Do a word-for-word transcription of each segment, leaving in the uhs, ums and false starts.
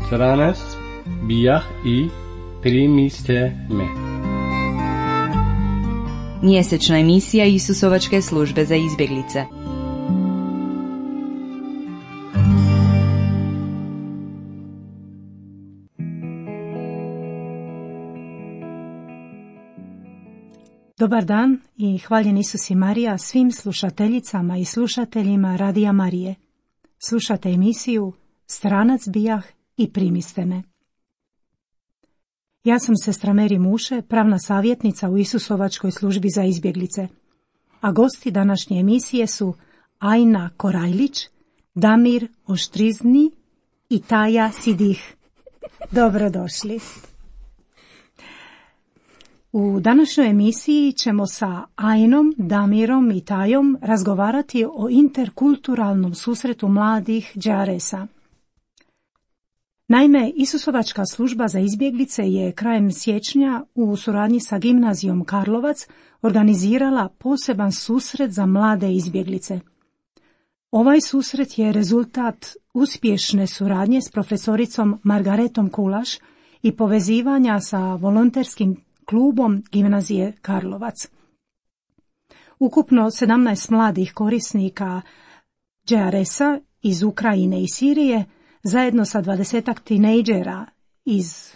Stranac bijah i primiste me. Mjesečna emisija Isusovačke službe za izbjeglice. Dobar dan i hvaljen Isus i Marija svim slušateljicama i slušateljima Radija Marije. Slušate emisiju Stranac bijah i primiste me. Ja sam sestra Meri Muše, pravna savjetnica u Isusovačkoj službi za izbjeglice, a gosti današnje emisije su Ajna Korajlić, Damir Oštrizni i Taja Sidih. Dobrodošli. U današnjoj emisiji ćemo sa Ajnom, Damirom i Tajom razgovarati o interkulturalnom susretu mladih Đe A R E S-a. Naime, Isusovačka služba za izbjeglice je krajem siječnja u suradnji sa Gimnazijom Karlovac organizirala poseban susret za mlade izbjeglice. Ovaj susret je rezultat uspješne suradnje s profesoricom Margaretom Kulaš i povezivanja sa volonterskim klubom Gimnazije Karlovac. Ukupno sedamnaest mladih korisnika Đe A R E S-a iz Ukrajine i Sirije zajedno sa dvadesetak tinejdžera iz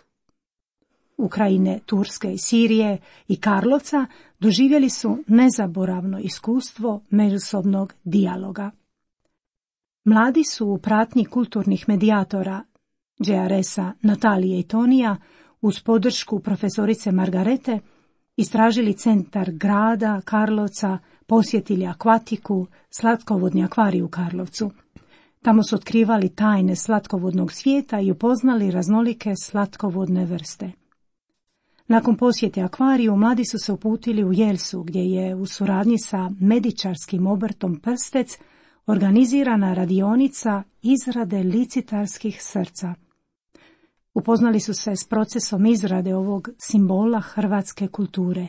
Ukrajine, Turske i Sirije i Karlovca doživjeli su nezaboravno iskustvo međusobnog dijaloga. Mladi su u pratnji kulturnih medijatora Đe A R E S-a Natalije i Tonija uz podršku profesorice Margarete istražili centar grada Karlovca, posjetili akvatiku, slatkovodni akvarij u Karlovcu. Tamo su otkrivali tajne slatkovodnog svijeta i upoznali raznolike slatkovodne vrste. Nakon posjete akvariju, mladi su se uputili u Jelsu, gdje je u suradnji sa medičarskim obrtom Prstec organizirana radionica izrade licitarskih srca. Upoznali su se s procesom izrade ovog simbola hrvatske kulture,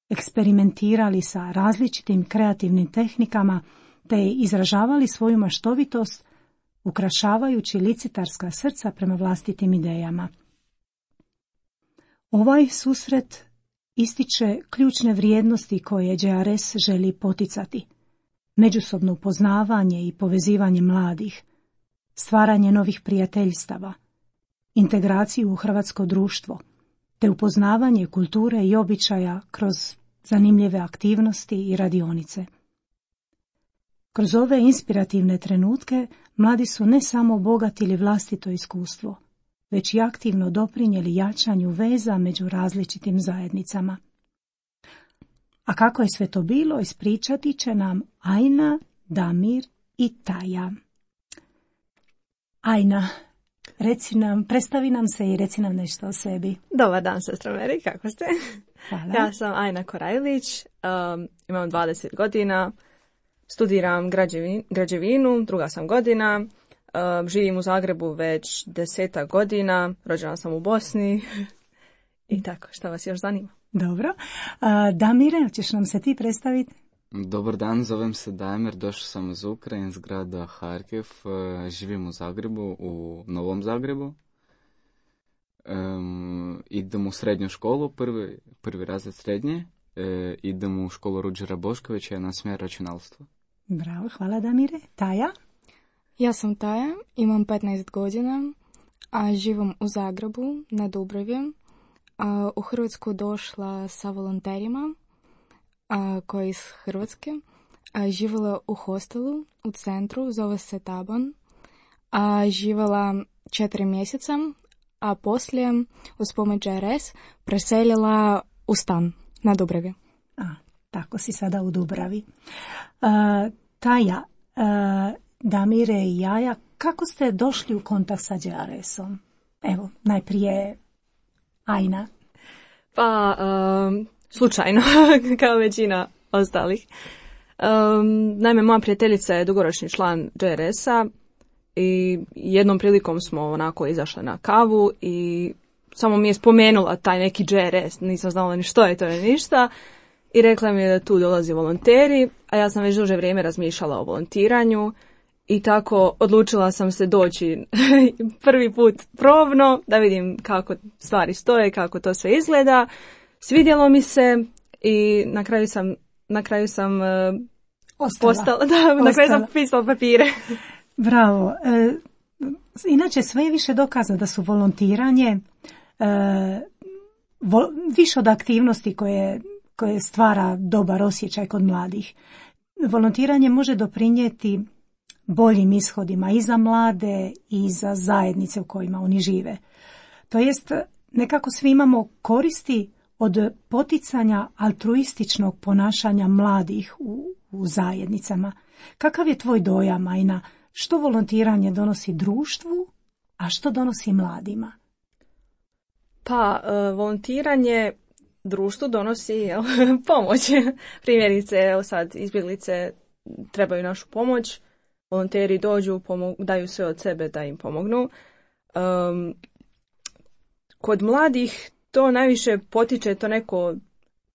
eksperimentirali sa različitim kreativnim tehnikama te izražavali svoju maštovitost ukrašavajući licitarska srca prema vlastitim idejama. Ovaj susret ističe ključne vrijednosti koje Đe A R E S želi poticati: međusobno upoznavanje i povezivanje mladih, stvaranje novih prijateljstava, integraciju u hrvatsko društvo, te upoznavanje kulture i običaja kroz zanimljive aktivnosti i radionice. Kroz ove inspirativne trenutke mladi su ne samo obogatili vlastito iskustvo, već i aktivno doprinijeli jačanju veza među različitim zajednicama. A kako je sve to bilo, ispričati će nam Ajna, Damir i Taja. Ajna, reci nam, predstavi nam se i reci nam nešto o sebi. Dobar dan, sestra Meri, kako ste? Hvala. Ja sam Ajna Korajlić, um, imam dvadeset godina, studiram građevin, građevinu, druga sam godina, um, živim u Zagrebu već desetak godina, rođena sam u Bosni i tako, šta vas još zanima? Dobro. Uh, Damire, hoćeš nam se ti predstaviti? Dobar dan, zovem se Damir, došao sam iz Ukrajine, iz grada Harkiv, živim u Zagrebu, u Novom Zagrebu. Um, idem u srednju školu, prvi, prvi razred srednje, e, idem u školu Ruđera Boškovića na smjer računalstva. Bravo, hvala Damire. Taja? Ja sam Taja, imam petnaest godina, a živim u Zagrebu, na Dubravi. A, u Hrvatsku došla sa volonterima a, koji iz Hrvatske. A, živjela u hostelu u centru, zove se Taban. A, živjela četiri mjeseca, a poslije uz pomoć Đe A R E S preselila u stan na Dubravi. A, tako si sada u Dubravi. Uh, Taja, uh, Damire i Jaja, kako ste došli u kontakt sa Đe A R E S-om? Evo, najprije Ajna. Pa, um, slučajno, kao većina ostalih. Um, naime, moja prijateljica je dugoročni član Đe A R E S-a i jednom prilikom smo onako izašle na kavu i samo mi je spomenula taj neki Đe A R E S, nisam znala ni što je to ni ništa. i rekla mi je da tu dolazi volonteri, a ja sam već duže vrijeme razmišljala o volontiranju i tako odlučila sam se doći prvi put probno da vidim kako stvari stoje, kako to sve izgleda. Svidjelo mi se i na kraju sam na kraju sam Ostala. postala, da, na kraju sam pisala papire. Bravo. E, inače sve je više dokazano da su volontiranje e, vo, više od aktivnosti koje, koje stvara dobar osjećaj kod mladih. Volontiranje može doprinijeti boljim ishodima i za mlade i za zajednice u kojima oni žive. To jest, nekako svi imamo koristi od poticanja altruističnog ponašanja mladih u, u zajednicama. Kakav je tvoj dojam, Ajna? Što volontiranje donosi društvu, a što donosi mladima? Pa, uh, volontiranje društvu donosi jel, pomoć. Primjerice, evo sad, izbjeglice trebaju našu pomoć, volonteri dođu, pomog, daju sve od sebe da im pomognu. Um, kod mladih to najviše potiče to neko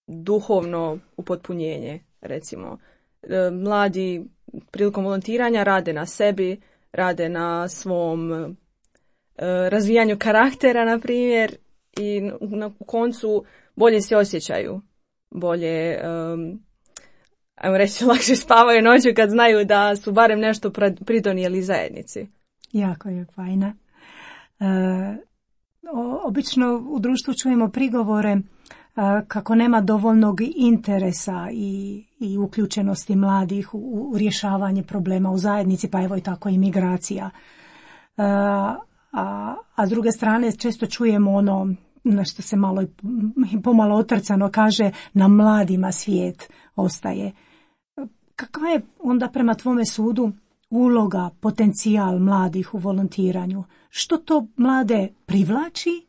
duhovno upotpunjenje, recimo. E, mladi prilikom volontiranja rade na sebi, rade na svom e, razvijanju karaktera, na primjer, i na koncu bolje se osjećaju, bolje, um, ajmo reći, lakše spavaju noću kad znaju da su barem nešto pridonijeli zajednici. Jako je fajna. E, obično u društvu čujemo prigovore e, kako nema dovoljnog interesa i, i uključenosti mladih u, u rješavanje problema u zajednici, pa evo i tako i migracija. E, a, a s druge strane često čujemo ono na što se malo i pomalo otrcano kaže, na mladima svijet ostaje. Kakva je onda prema tvome sudu uloga, potencijal mladih u volontiranju? Što to mlade privlači,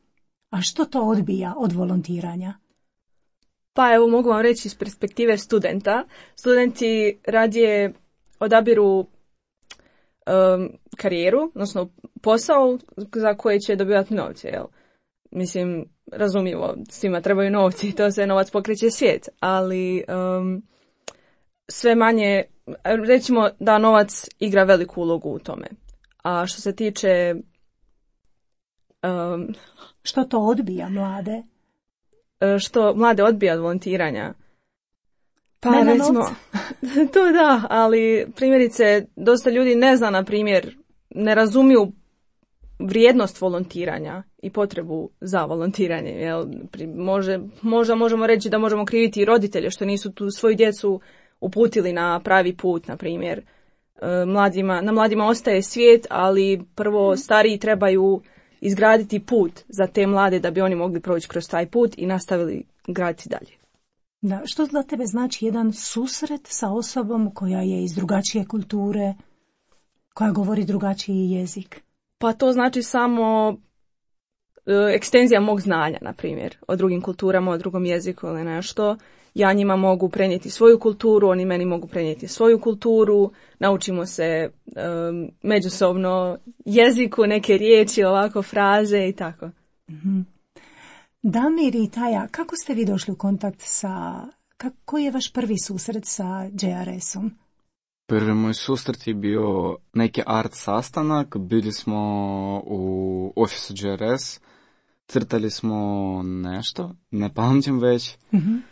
a što to odbija od volontiranja? Pa evo mogu vam reći iz perspektive studenta. Studenti radije odabiru um, karijeru, odnosno posao za koji će dobivati novce, jel? Mislim, razumljivo, svima trebaju novci, to se novac pokreće svijet, ali um, sve manje, recimo da novac igra veliku ulogu u tome. A što se tiče... Um, što to odbija mlade? Što mlade odbija od volontiranja? Pa Nema recimo, to da, ali primjerice, dosta ljudi ne zna, na primjer, ne razumiju vrijednost volontiranja i potrebu za volontiranje. Jel? Može, možda možemo reći da možemo kriviti i roditelje što nisu tu svoju djecu uputili na pravi put, na primjer. Mladima, na mladima ostaje svijet, ali prvo stariji trebaju izgraditi put za te mlade da bi oni mogli proći kroz taj put i nastavili graditi dalje. Da, što za tebe znači jedan susret sa osobom koja je iz drugačije kulture, koja govori drugačiji jezik? Pa to znači samo e, ekstenzija mog znanja, na primjer, o drugim kulturama, o drugom jeziku ili nešto. Ja njima mogu prenijeti svoju kulturu, oni meni mogu prenijeti svoju kulturu, naučimo se um, međusobno jeziku, neke riječi, ovako fraze i tako. Mm-hmm. Damir i Taja, kako ste vi došli u kontakt sa, koji je vaš prvi susret sa J R S-om? Prvi moj susret je bio neki art sastanak, bili smo u ofisu J R S, crtali smo nešto, ne pamtim već. Mm-hmm.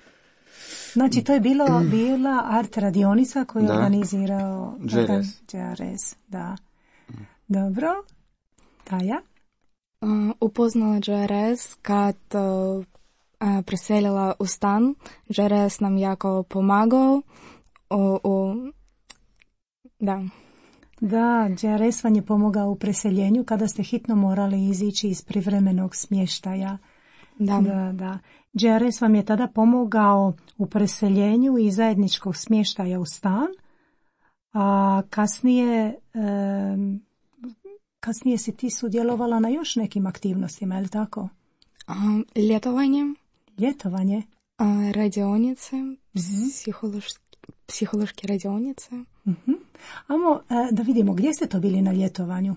Znači, to je bilo, bila art radionica koju je da. organizirao J R S. J R S. Da. Dobro. Taja? Uh, upoznala J R S kad uh, uh, preselila u stan. J R S nam jako pomagao. U, u, da. Da, J R S vam je pomogao u preseljenju kada ste hitno morali izići iz privremenog smještaja. Da. Da, da. J R S vam je tada pomogao u preseljenju i zajedničkog smještaja u stan, a kasnije, um, kasnije si ti sudjelovala na još nekim aktivnostima, je li tako? Um, ljetovanje. Ljetovanje? Uh, radionice, mm-hmm. psihološke, psihološke radionice. Mm-hmm. Amo, uh, da vidimo, gdje ste to bili na ljetovanju?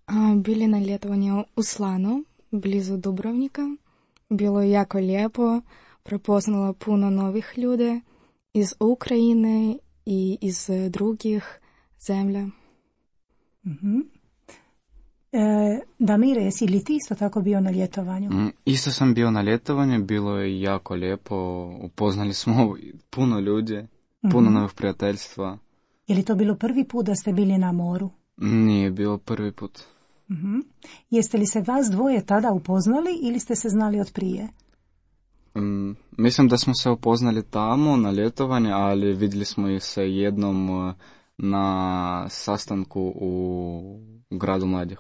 Uh, bili na ljetovanju u Slanu, blizu Dubrovnika. Bilo je jako lijepo. prepoznala puno novih ljudi iz Ukrajine i iz drugih zemlja. Mm-hmm. E, Damire, jesi li ti isto tako bio na ljetovanju? Mm, isto sam bio na ljetovanju, bilo je jako lijepo, upoznali smo puno ljudi, puno Mm-hmm. novih prijateljstva. Je li to bilo prvi put da ste bili na moru? Nije bilo prvi put. Mm-hmm. Jeste li se vas dvoje tada upoznali ili ste se znali od prije? Mm, mislim da smo se upoznali tamo na ljetovanje, ali vidjeli smo ih se jednom uh, na sastanku u gradu mladih.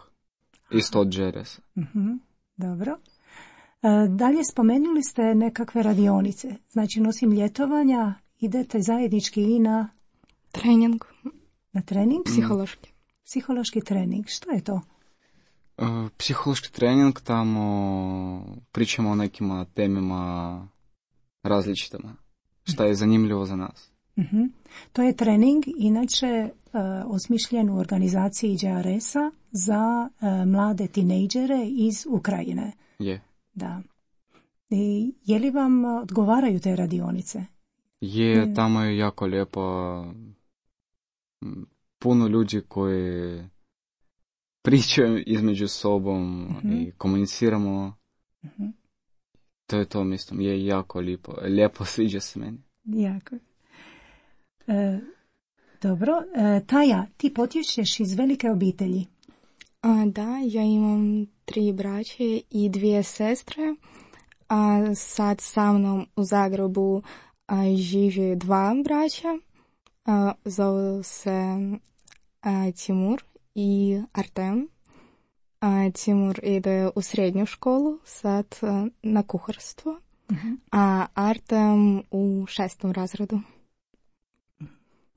Isto od Džeresa. Mm-hmm. Dobro. E, dalje spomenuli ste nekakve radionice. Znači, nosim ljetovanja, idete zajednički i na, Trening, na trening? psihološki. Psihološki trening. Što je to? Uh, psihološki trening, tamo pričamo o nekim temima različitima. Šta je zanimljivo za nas. Mm-hmm. To je trening, inače e, osmišljen u organizaciji J R S-a za e, mlade tinejdžere iz Ukrajine. Je. Da. I je li vam odgovaraju te radionice? Je, tamo je jako lijepo. Puno ljudi koji pričaju između sobom Mm-hmm. i komuniciramo. Mm-hmm. To je to, mislim, je jako lijepo. Lijepo sviđa se meni. Jako. E, dobro. E, Taja, ti potječeš iz velike obitelji. A, da, ja imam tri braće i dvije sestre. A sad sa mnom u Zagrebu a, živi dva braća. A, zovu se a, Timur i Artem. A, Timur ide u srednju školu, sad a, na kuharstvo, Mm-hmm. a Artem u šestom razredu.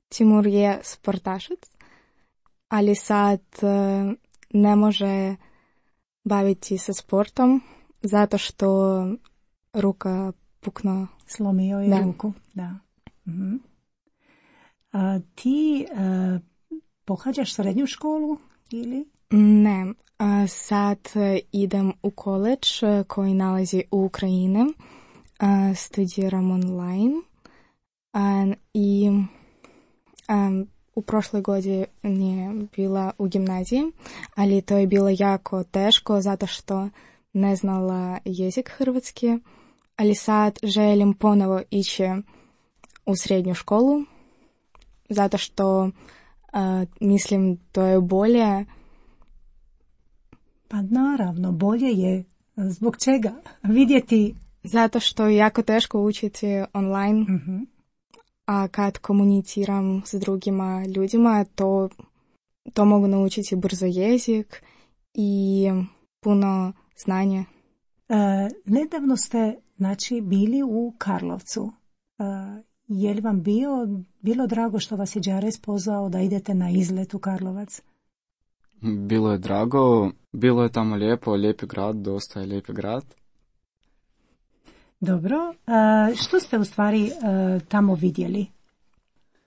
Timur je sportašac, ali sad a, ne može baviti se sportom zato što ruka pukla. Slomio je Da. ruku. Da. Mm-hmm. A, ti e, pohađaš srednju školu ili? Ne, a sad e, idem u koledž e, koji nalazi u Ukrajini. A, studiram online a, i a, u prošloj godini nije bila u gimnaziji, ali to je bilo jako teško zato što ne znala jezik hrvatski, ali sad želim ponovo ići u srednju školu zato što a, mislim to je bolje. Pa naravno, bolje je. Zbog čega? Vidjeti. Zato što je jako teško učiti online, Mm-hmm. a kad komuniciram s drugima ljudima, to, to mogu naučiti brzo jezik i puno znanja. E, nedavno ste, znači, bili u Karlovcu. E, je li vam bio, bilo drago što vas je J R S pozvao da idete na izlet u Karlovac? Bilo je drago, bilo je tamo lijepo, lijepi grad, dosta je lijepi grad. Dobro. E, što ste u stvari e, tamo vidjeli?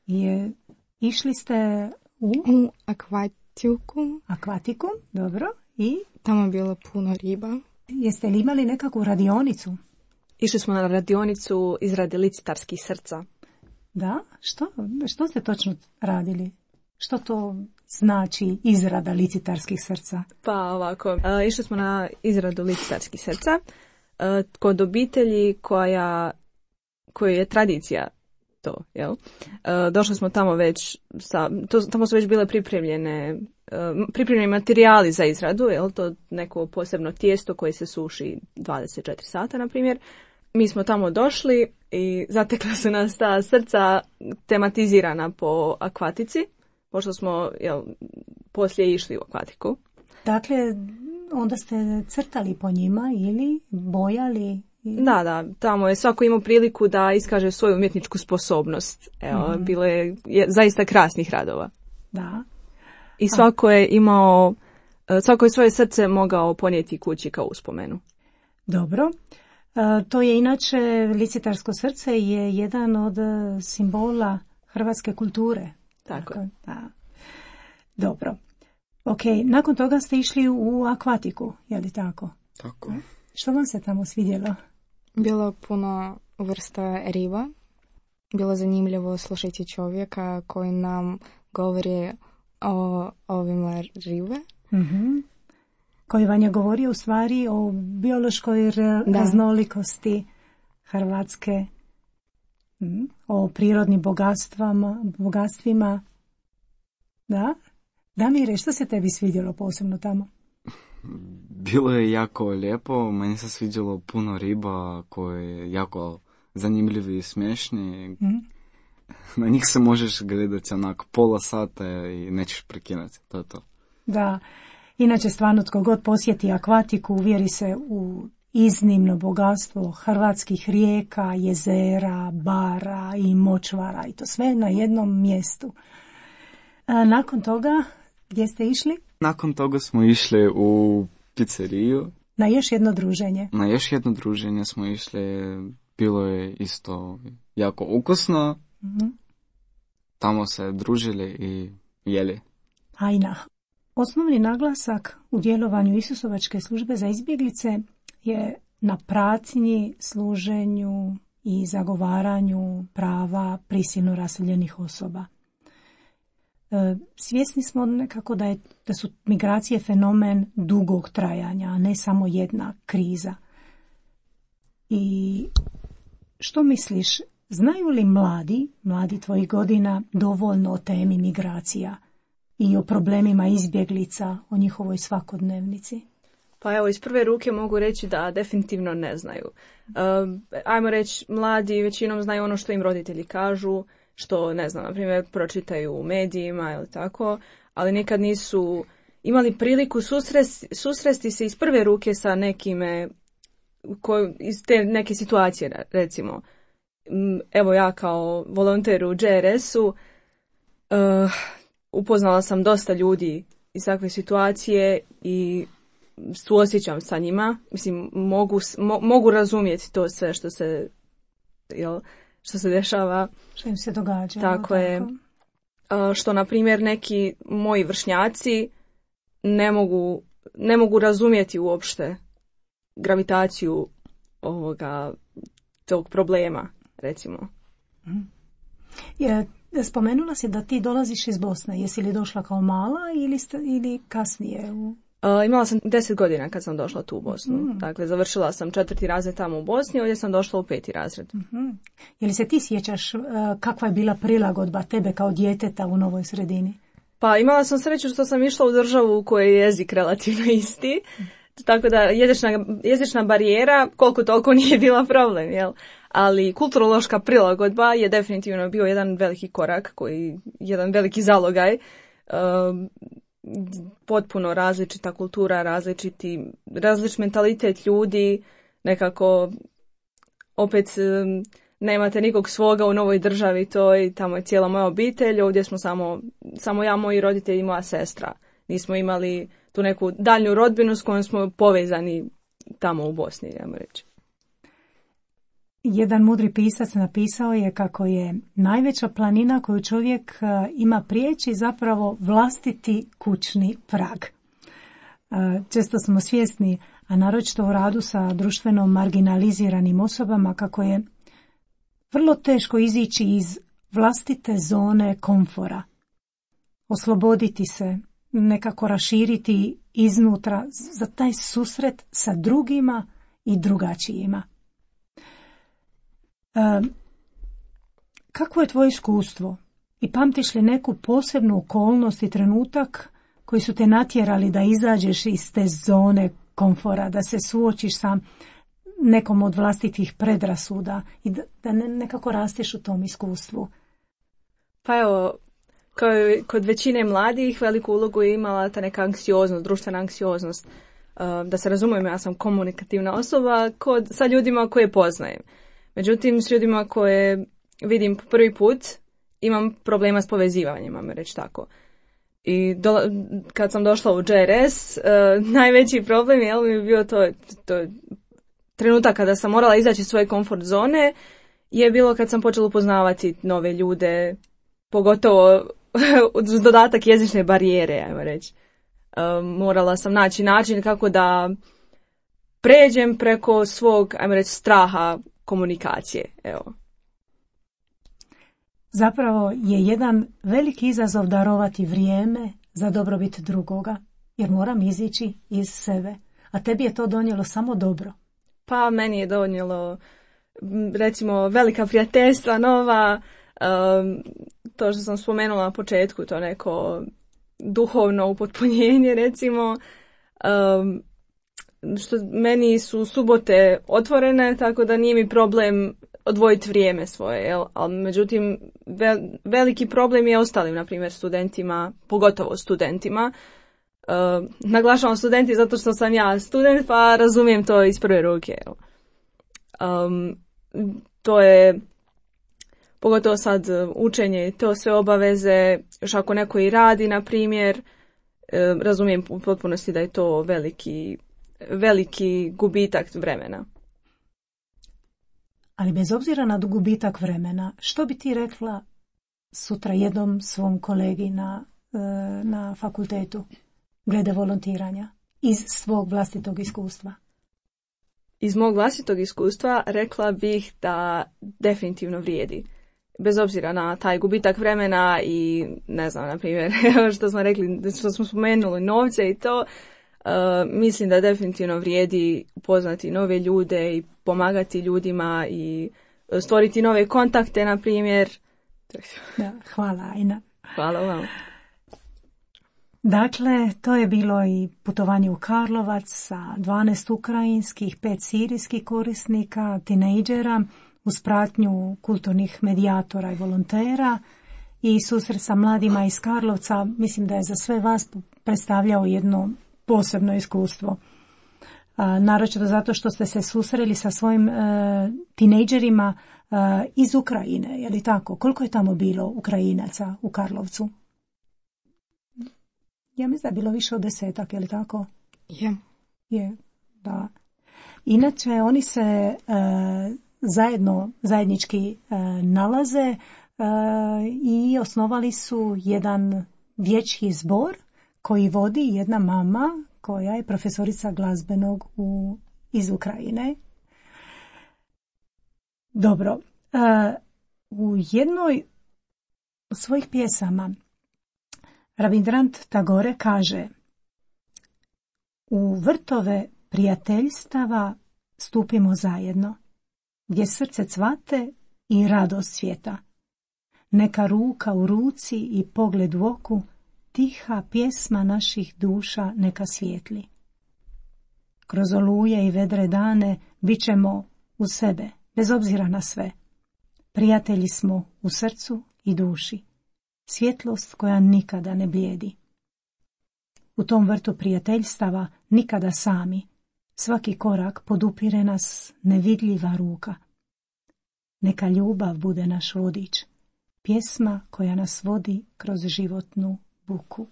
Je, išli ste u U akvatiku akvatiku, dobro. I tamo je bilo puno riba. jeste li imali nekakvu radionicu? Išli smo na radionicu izrade licitarskih srca. Da? Što? Što ste točno radili? Što to znači izrada licitarskih srca? Pa ovako, e, išli smo na izradu licitarskih srca e, kod obitelji koja, koja je tradicija to, jel? E, došli smo tamo već, sa, to, tamo su već bile pripremljene, e, pripremljeni materijali za izradu, jel? To neko posebno tijesto koje se suši dvadeset četiri sata, na primjer. Mi smo tamo došli i zatekla su nas ta srca tematizirana po akvatici, pošto smo, jel, poslije išli u akvatiku. Dakle, onda ste crtali po njima ili bojali? Ili... Da, da, tamo je svako imao priliku da iskaže svoju umjetničku sposobnost. Evo, Mm-hmm. bilo je, je zaista krasnih radova. Da. I svako je imao, svako je svoje srce mogao ponijeti kući kao uspomenu. Dobro. E, to je inače, licitarsko srce je jedan od simbola hrvatske kulture. Tako. Tako, da. Dobro. Ok, nakon toga ste išli u akvatiku, je li tako? Tako. Što vam se tamo svidjelo? Bilo puno vrsta riba. Bilo zanimljivo slušati čovjeka koji nam govori o ovima ribe. Mm-hmm. Koji vam je govorio u stvari o biološkoj raznolikosti Hrvatske, mm, o prirodnim bogatstvama, bogatstvima. Da? Damire, što se tebi svidjelo posebno tamo? Bilo je jako lijepo, meni se sviđalo puno riba koje je jako zanimljivi i smiješni. Mm. Na njih se možeš gledati onako pola sata i nećeš prekinuti, to je to. Da, inače stvarno tko god posjeti akvatiku uvjeri se u iznimno bogatstvo hrvatskih rijeka, jezera, bara i močvara i to sve na jednom mjestu. A nakon toga, gdje ste išli? Nakon toga smo išli u pizzeriju. Na još jedno druženje. Na još jedno druženje smo išli, bilo je isto jako ukusno. Mm-hmm. Tamo se družili i jeli. Ajna. Osnovni naglasak u djelovanju Isusovačke službe za izbjeglice je na pratnji, služenju i zagovaranju prava prisilno raseljenih osoba. E, svjesni smo nekako da, je, da su migracije fenomen dugog trajanja, a ne samo jedna kriza. I što misliš, znaju li mladi, mladi tvojih godina, dovoljno o temi migracija i o problemima izbjeglica, o njihovoj svakodnevnici? Pa evo, iz prve ruke mogu reći da definitivno ne znaju. Um, ajmo reći, mladi većinom znaju ono što im roditelji kažu, što, ne znam, na primjer, pročitaju u medijima ili tako, ali nikad nisu imali priliku susresti, susresti se iz prve ruke sa nekime, ko, iz te neke situacije, recimo. Evo ja kao volonter u J R S-u uh, upoznala sam dosta ljudi iz takve situacije i suosjećam sa njima. Mislim, mogu, mo, mogu razumjeti to sve što se, jel, što se dešava. Što im se događa. Tako, tako. je. Uh, što, na primjer, neki moji vršnjaci ne mogu, ne mogu razumjeti uopšte gravitaciju ovoga, tog problema, recimo. Je, spomenula si da ti dolaziš iz Bosne. Jesi li došla kao mala ili, sta, ili kasnije? U... Uh, imala sam deset godina kad sam došla tu u Bosnu. Mm. Dakle, završila sam četvrti razred tamo u Bosni, ovdje sam došla u peti razred. Mm-hmm. Je li se ti sjećaš uh, kakva je bila prilagodba tebe kao djeteta u novoj sredini? Pa imala sam sreću što sam išla u državu u kojoj je jezik relativno isti. Mm. Tako da jezična, jezična barijera koliko toliko nije bila problem, jel? Ali kulturološka prilagodba je definitivno bio jedan veliki korak, koji jedan veliki zalogaj. Um, potpuno različita kultura, različiti, različit mentalitet ljudi, nekako opet um, nemate nikog svoga u novoj državi, to je, tamo je cijela moja obitelj, ovdje smo samo, samo ja, moji roditelji i moja sestra. Nismo imali tu neku daljnju rodbinu s kojom smo povezani tamo u Bosni, ajmo reći. Jedan mudri pisac napisao je kako je najveća planina koju čovjek ima prijeći zapravo vlastiti kućni prag. Često smo svjesni, a naročito u radu sa društveno marginaliziranim osobama, kako je vrlo teško izići iz vlastite zone komfora. Osloboditi se, nekako raširiti iznutra za taj susret sa drugima i drugačijima. E, kako je tvoje iskustvo i pamtiš li neku posebnu okolnost i trenutak koji su te natjerali da izađeš iz te zone komfora, da se suočiš sa nekom od vlastitih predrasuda i da, da ne, nekako rasteš u tom iskustvu? Pa evo, kao i kod većine mladih, veliku ulogu je imala ta neka anksioznost, društvena anksioznost. Da se razumijem, ja sam komunikativna osoba kod, sa ljudima koje poznajem. Međutim, s ljudima koje vidim po prvi put, imam problema s povezivanjem, ajmo reći tako. I do, kad sam došla u J R S, uh, najveći problem je mi je bio to, to trenutak kada sam morala izaći iz svoje komfort zone, je bilo kad sam počela upoznavati nove ljude, pogotovo uz dodatak jezične barijere, ajmo reći. Uh, morala sam naći način kako da pređem preko svog, ajmo reći, straha komunikacije, evo. Zapravo je jedan veliki izazov darovati vrijeme za dobrobit drugoga, jer moram izići iz sebe. A tebi je to donijelo samo dobro. Pa meni je donijelo, recimo, velika prijateljstva nova, um, to što sam spomenula na početku, to neko duhovno upotpunjenje, recimo. Um, što meni su subote otvorene, tako da nije mi problem odvojiti vrijeme svoje, jel? Ali međutim, vel, veliki problem je ostalim, na primjer, studentima, pogotovo studentima. Uh, naglašavam studenti zato što sam ja student, pa razumijem to iz prve ruke. Um, to je, pogotovo sad učenje, to sve obaveze, još ako neko i radi, na primjer, uh, razumijem u potpunosti da je to veliki, veliki gubitak vremena. Ali bez obzira na gubitak vremena, što bi ti rekla sutra jednom svom kolegi na, na fakultetu glede volontiranja iz svog vlastitog iskustva? Iz mog vlastitog iskustva rekla bih da definitivno vrijedi. Bez obzira na taj gubitak vremena i, ne znam, na primjer, što smo rekli, što smo spomenuli novce i to, uh, mislim da definitivno vrijedi upoznati nove ljude i pomagati ljudima i stvoriti nove kontakte, na primjer. Da, hvala, Ajna. Hvala vam. Dakle, to je bilo i putovanje u Karlovac sa dvanaest ukrajinskih, pet sirijskih korisnika, tinejdžera, uz pratnju kulturnih medijatora i volontera i susret sa mladima iz Karlovca. Mislim da je za sve vas predstavljao jedno posebno iskustvo. A, naročito zato što ste se susreli sa svojim e, tinejdžerima e, iz Ukrajine, je li tako? Koliko je tamo bilo Ukrajinaca u Karlovcu? Ja mislim da je bilo više od desetak, je li tako? Je. Je, da. Inače, oni se e, zajedno, zajednički e, nalaze e, i osnovali su jedan dječji zbor koji vodi jedna mama koja je profesorica glazbenog u, iz Ukrajine. Dobro. E, u jednoj od svojih pjesama Rabindranath Tagore kaže: u vrtove prijateljstava stupimo zajedno, gdje srce cvate i radost svijeta. Neka ruka u ruci i pogled u oku, tiha pjesma naših duša neka svijetli. Kroz oluje i vedre dane bit ćemo u sebe, bez obzira na sve. Prijatelji smo u srcu i duši. Svjetlost koja nikada ne blijedi. U tom vrtu prijateljstava nikada sami. Svaki korak podupire nas nevidljiva ruka. Neka ljubav bude naš vodič. Pjesma koja nas vodi kroz životnu buku.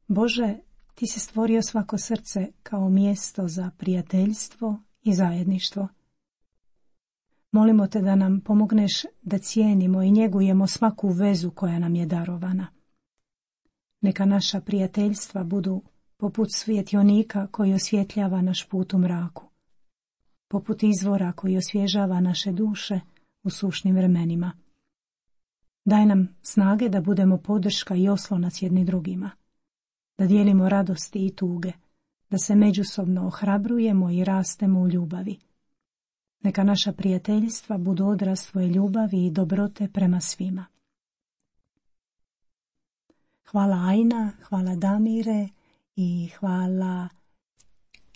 Bože, ti si stvorio svako srce kao mjesto za prijateljstvo i zajedništvo. Molimo te da nam pomogneš da cijenimo i njegujemo svaku vezu koja nam je darovana. Neka naša prijateljstva budu poput svjetionika koji osvjetljava naš put u mraku, poput izvora koji osvježava naše duše u sušnim vremenima. Daj nam snage da budemo podrška i oslonac jedni drugima, da dijelimo radosti i tuge, da se međusobno ohrabrujemo i rastemo u ljubavi. Neka naša prijateljstva budu odraz tvoje ljubavi i dobrote prema svima. Hvala Ajna, hvala Damire i hvala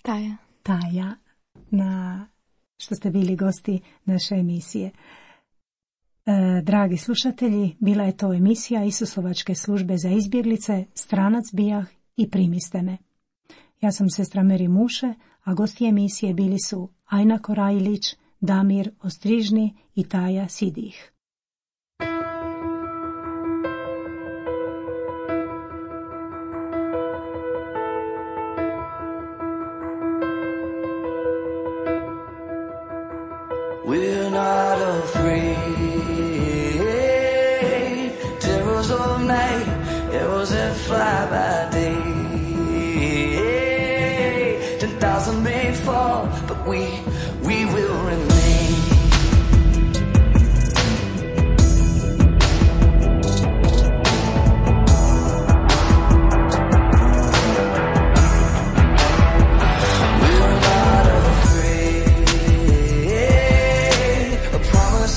Taja. Taja na što ste bili gosti naše emisije. E, dragi slušatelji, bila je to emisija Isusovačke službe za izbjeglice, Stranac bijah i Primiste me. Ja sam sestra Meri Muše, a gosti emisije bili su Ajna Korajlić, Damir Ostrižni i Taja Sidih. We're not afraid. Terrors of night, arrows that fly by day. Ten thousand may fall, but we, we will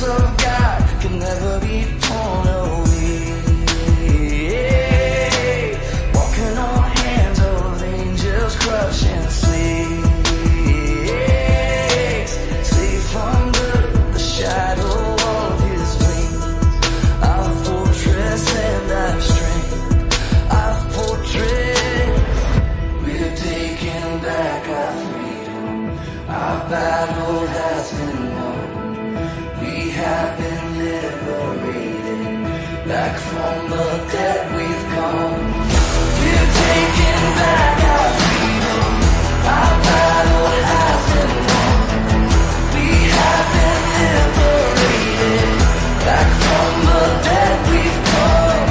of God can never be torn away. Walking on hands of angels, crushing slaves, safe under the shadow of His wings. Our fortress and our strength, our fortress. We're taking back our freedom. Our battle has been won. We have been liberated. Back from the dead we've come. We're taking back our freedom. Our battle has been won. We have been liberated. Back from the dead we've come.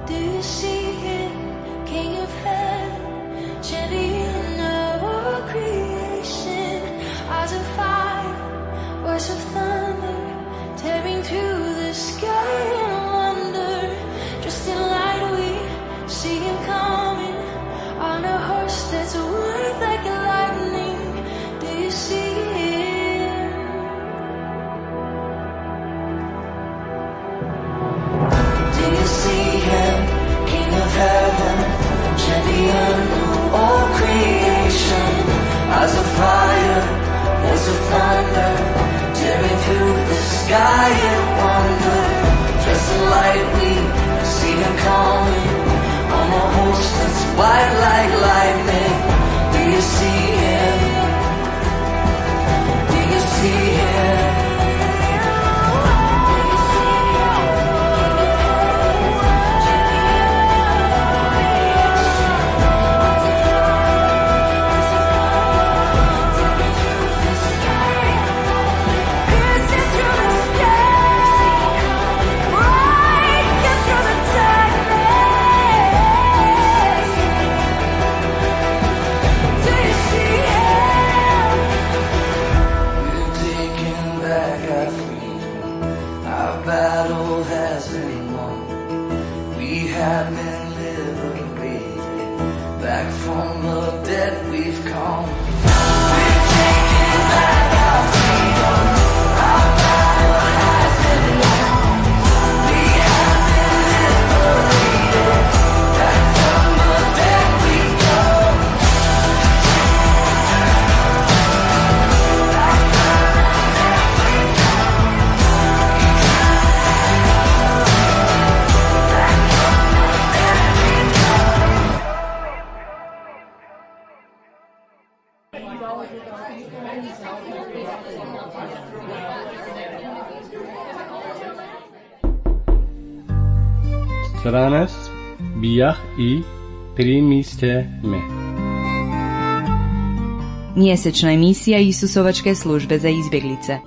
Do you see Him, King of heaven, champion of all creation? Eyes of fire, voice of thunder, tearing through the sky in wonder. Just in light we see Him coming, on a horse that's white like lightning. Do you see Him? Do you see Him, King of heaven, champion of all creation? Eyes of fire, voice of thunder, tearing through the sky in wonder. Dressed in light we see Him coming, on a horse that's white like lightning. Do you see Him? Do you see Him? Battle has been won. We have been liberated. Back from the dead we've come. We're taking back our freedom. Our battle has been won. We have been liberated. Back from the dead we've come. Stranest bijah i primiste me. Mjesečna emisija Isusovačke službe za izbjeglice.